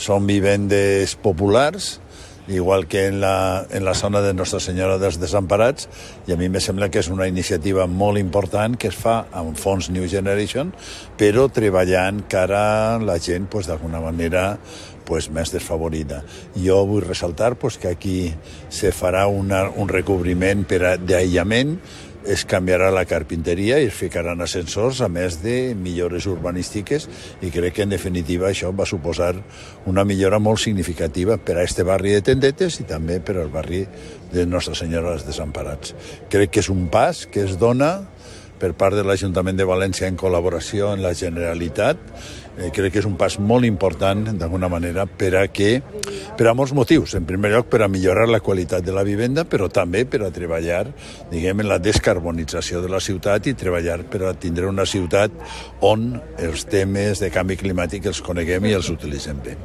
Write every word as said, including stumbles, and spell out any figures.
són vivendes populars, igual que en la, en la zona de Nostra Senyora dels Desemparats, i a mi me sembla que és una iniciativa molt important que es fa amb fons New Generation, però treballant cara a la gent pues, d'alguna manera pues, més desfavorida. Jo vull ressaltar pues, que aquí se farà una, un recobriment per a, d'aïllament, es canviarà la carpinteria i es ficaran ascensors, a més de millores urbanístiques, i crec que en definitiva això va suposar una millora molt significativa per a este barri de Tendetes i també per al barri de Nostra Senyora dels Desemparats. Crec que és un pas que es dona per part de l'Ajuntament de València en col·laboració amb la Generalitat. Eh, crec que és un pas molt important, d'alguna manera, per a que, per a molts motius. En primer lloc, per a millorar la qualitat de la vivenda, però també per a treballar, diguem, en la descarbonització de la ciutat i treballar per a tindre una ciutat on els temes de canvi climàtic els coneguem i els utilitzem bé.